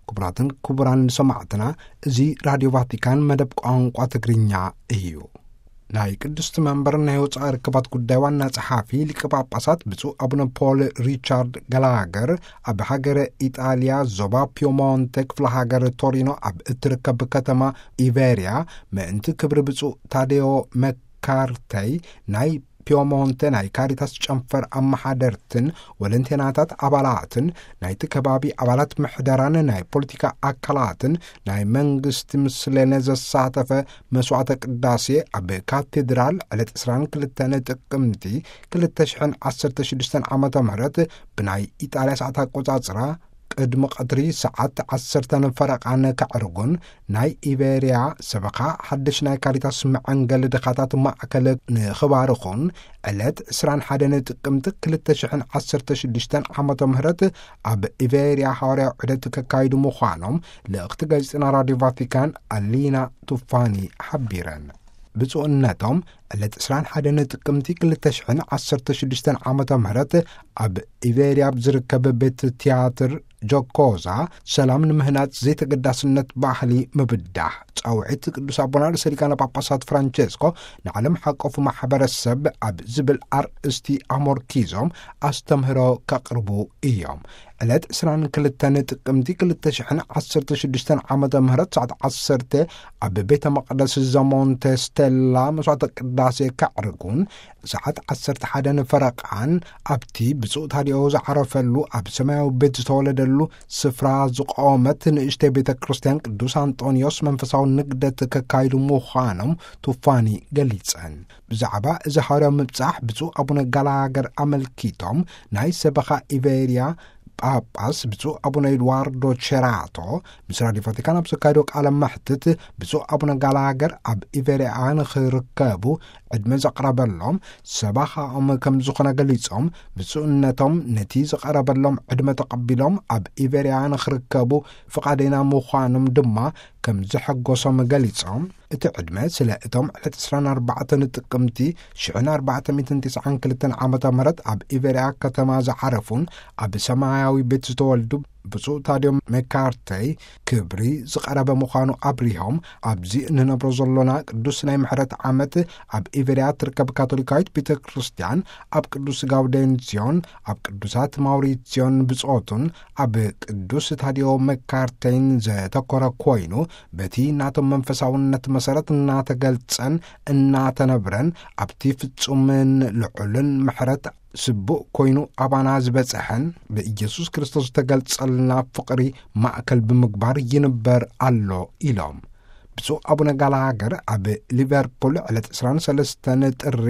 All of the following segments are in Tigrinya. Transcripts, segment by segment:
ክቡራትን ክቡራን ሰማዕትና፣ እዚ ራድዮ ቫቲካን መደብ ቋንቋ ትግርኛ እዩ። ናይ ቅድስቲ መንበር ናይ ወፃኢ ርክባት ጉዳይ ዋና ጸሓፊ ሊቀ ጳጳሳት ብፁዕ ኣቡነ ፖል ሪቻርድ ጋላገር፣ ኣብ ሃገረ ኢጣልያ ዞባ ፒየሞንተ ክፍለ ሃገር ቶሪኖ ኣብ እትርከብ ከተማ ኢቬርያ፣ ምእንቲ ክብሪ ብፁዕ ታዴዮ መካርተይ፣ ናይ ፒየሞንተ ናይ ካሪታስ ጨንፈር ኣመሓደርትን ወለንቴናታት ኣባላትን ናይቲ ከባቢ ኣባላት ምሕደራን ናይ ፖለቲካ ኣካላትን ናይ መንግስቲ ምስለነ ዘሳተፈ መስዋዕተ ቅዳሴ ኣብ ካቴድራል ዕለት ዕስራን ክልተን ጥቅምቲ ክልተ ሽሕን ዓሰርተ ሽዱሽተን ዓመተ ምህረት ብናይ ኢጣልያ ሰዓት ኣቆጻጽራ ቅድሚ ቀትሪ ሰዓት ዓሰርተን ፈረቓን ከዕርጉን፣ ናይ ኢቤርያ ሰበኻ ሓድሽ ናይ ካሪታስ መዐንገሊ ድኻታት ማእከል ንኽባርኹን፣ ዕለት ዕስራን ሓደን ጥቅምቲ ክልተ ሽሕን ዓሰርተ ሽዱሽተን ዓመተ ምህረት ኣብ ኢቤርያ ሃዋርያዊ ዑደት ከካይዱ ምዃኖም ልእኽቲ ጋዜጠና ራድዮ ቫቲካን ኣሊና ቱፋኒ ሓቢረን። ብፁዕነቶም ዕለት ዕስራን ሓደን ጥቅምቲ ክልተ ሽሕን ዓሰርተ ሽዱሽተን ዓመተ ምህረት ኣብ ኢቤርያ ኣብ ዝርከብ ቤት ትያትር ጆኮዛ፣ ሰላም ንምህናጽ ዘይተገዳስነት ባህሊ ምብዳህ ጻውዒት ቅዱስ ኣቦና ርእሰ ሊቃነ ጳጳሳት ፍራንቸስኮ ንዓለም ሓቆፍ ማሕበረሰብ ኣብ ዝብል ኣርእስቲ ኣሞርኪዞም ኣስተምህሮ ከቕርቡ እዮም። ዕለት ዕስራን ክልተን ጥቅምቲ ክልተ ሽሕን ዓሰርተ ሽዱሽተን ዓመተ ምህረት ሰዓት ዓሰርተ ኣብ ቤተ መቕደስ ዘሞንተ ስቴላ መስዋዕተ ቅዳሴ ከዕርጉን፣ ሰዓት ዓሰርተ ሓደን ፈረቓን ኣብቲ ብፁዕ ታዲዮ ዝዓረፈሉ ኣብ ሰማያዊ ቤት ዝተወለደሉ ስፍራ ዝቖመት ንእሽተይ ቤተ ክርስቲያን ቅዱስ ኣንጦንዮስ መንፈሳዊ ንግደት ከካይዱ ምዃኖም ቱፋኒ ገሊጸን። ብዛዕባ እዚ ሃዋርያዊ ምብጻሕ ብፁዕ ኣቡነ ጋላገር ኣመልኪቶም ናይ ሰበኻ ኢቤርያ ጳጳስ ብፁዕ ኣቡነ ኤድዋርዶ ቸራቶ ምስ ራድዮ ቫቲካን ኣብ ዘካየዶ ቃለ መሕትት፣ ብፁዕ ኣቡነ ጋላገር ኣብ ኢቤርያ ንኽርከቡ ዕድመ ዘቕረበሎም ሰባኻኦም ከም ዝኾነ ገሊጾም፣ ብፁዕነቶም ነቲ ዝቐረበሎም ዕድመ ተቐቢሎም ኣብ ኢቤርያ ንኽርከቡ ፍቓደኛ ምዃኖም ድማ ከም ዘሐጎሶም ገሊጾም፣ እቲ ዕድመ ስለ እቶም ዕለት ዕስራን ኣርባዕተን ጥቅምቲ ሽሕን ኣርባዕተ ሚእትን ትስዓን ክልተን ዓመተ ምህረት ኣብ ኢቤርያ ከተማ ዝዓረፉን ኣብ ሰማያዊ ቤት ዝተወልዱ ብፁዕ ታዲዮ መካርተይ ክብሪ ዝቐረበ ምዃኑ ኣብሪሆም፣ ኣብዚ እንነብሮ ዘሎና ቅዱስ ናይ ምሕረት ዓመት ኣብ ኢቤርያ ትርከብ ካቶሊካዊት ቤተ ክርስቲያን ኣብ ቅዱስ ጋውዴንሲዮን፣ ኣብ ቅዱሳት ማውሪሲዮን ብጾቱን ኣብ ቅዱስ ታዲዮ መካርተይን ዘተኮረ ኮይኑ፣ በቲ ናቶም መንፈሳውነት መሰረት እናተገልጸን እናተነብረን፣ ኣብቲ ፍጹምን ልዑልን ምሕረት ስቡእ ኮይኑ ኣባና ዝበጽሐን ብኢየሱስ ክርስቶስ ዝተገልጸልና ፍቕሪ ማእከል ብምግባር ይንበር ኣሎ ኢሎም። ብፁዕ ኣቡነ ጋላሃገር ኣብ ሊቨርፑል ዕለት ዕስራን ሰለስተን ጥሪ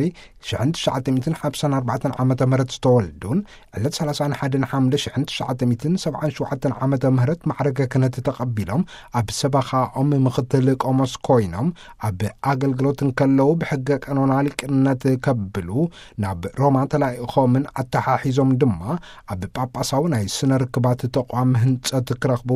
ሽሕን ትሽዓተ ሚእትን ሓምሳን ኣርባዕተን ዓመተ ምህረት ዝተወልዱን፣ ዕለት ሰላሳን ሓደን ሓምለ ሽሕን ትሽዓተ ሚእትን ሰብዓን ሸውዓተን ዓመተ ምህረት ማዕረገ ክህነት ተቐቢሎም ኣብ ሰበኻኦም ምኽትል ቆሞስ ኮይኖም ኣብ ኣገልግሎት እንከለዉ ብሕገ ቀኖና ሊቅነት ከብሉ ናብ ሮማ ተላኢኾምን ኣተሓሒዞም ድማ ኣብ ጳጳሳዊ ናይ ስነ ርክባት ተቋም ህንጸት ክረኽቡ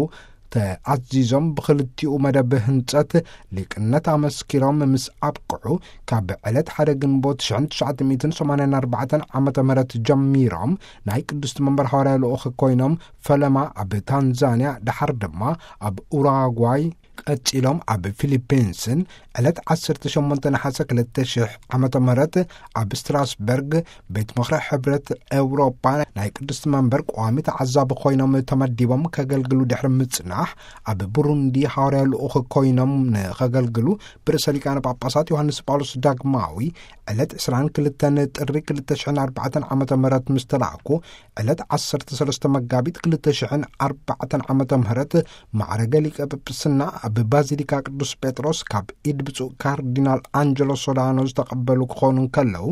ተኣዚዞም ብኽልቲኡ መደብ ህንጸት ሊቅነት ኣመስኪሮም ምስ ኣብቅዑ፣ ካብ ዕለት ሓደ ግንቦት ሽሕን ትሽዓተ ሚእትን ሰማንያን ኣርባዕተን ዓመተ ምህረት ጀሚሮም ናይ ቅድስቲ መንበር ሃዋርያ ልኡኽ ኮይኖም ፈለማ ኣብ ታንዛንያ፣ ደሓር ድማ ኣብ ኡራጓይ፣ ቀጺሎም ኣብ ፊሊፒንስን ዕለት ዓሰርተ ሸሞንተ ነሓሰ ክልተ ሽሕ ዓመተ ምህረት ኣብ ስትራስበርግ ቤት ምኽሪ ሕብረት ኤውሮጳ ናይ ቅድስቲ መንበር ቋሚ ተዓዛቢ ኮይኖም ተመዲቦም ከገልግሉ ድሕሪ ምጽናሕ፣ ኣብ ቡሩንዲ ሃዋርያ ልኡኽ ኮይኖም ንኸገልግሉ ብርእሰ ሊቃነ ጳጳሳት ዮሃንስ ጳውሎስ ዳግማዊ ዕለት ዕስራን ክልተን ጥሪ ክልተ ሽሕን ኣርባዕተን ዓመተ ምህረት ምስ ተላእኩ፣ ዕለት ዓሰርተ ሰለስተ መጋቢት ክልተ ሽሕን ኣርባዕተን ዓመተ ምህረት ማዕረገ ሊቀ ጵጵስና ኣብ ባዚሊካ ቅዱስ ጴጥሮስ ካብ ኢድ ብፁዕ ካርዲናል ኣንጀሎ ሶዳኖ ዝተቐበሉ ክኾኑ እንከለዉ፣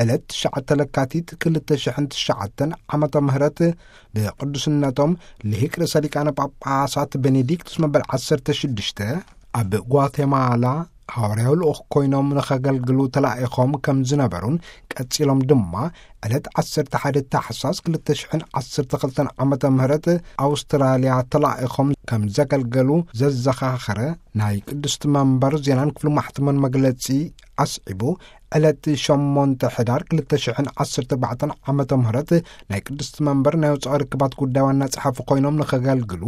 ዕለት ትሽዓተ ለካቲት ክልተ ሽሕን ትሽዓተን ዓመተ ምህረት ብቅዱስነቶም ልሂቅ ርእሰ ሊቃነ ጳጳሳት ቤኔዲክቱስ መበል ዓሰርተ ሽዱሽተ ኣብ ጓቴማላ ሃዋርያዊ ልኡኽ ኮይኖም ንኸገልግሉ ተላኢኾም ከም ዝነበሩን፣ ቀጺሎም ድማ ዕለት ዓሰርተ ሓደ ታሕሳስ ክልተ ሽሕን ዓሰርተ ክልተን ዓመተ ምህረት ኣውስትራልያ ተላኢኾም ከም ዘገልገሉ ዘዘኻኸረ ናይ ቅድስቲ መንበር ዜናን ክፍሊ ማሕተምን መግለጺ ኣስዒቡ፣ ዕለት ሸሞንተ ሕዳር ክልተ ሽሕን ዓሰርተ ኣርባዕተን ዓመተ ምህረት ናይ ቅድስቲ መንበር ናይ ወፃኢ ርክባት ጉዳይ ዋና ጸሓፊ ኮይኖም ንኸገልግሉ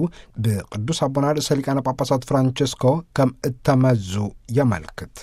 ብቅዱስ ኣቦና ርእሰ ሊቃነ ጳጳሳት ፍራንቸስኮ ከም እተመዙ የመልክት።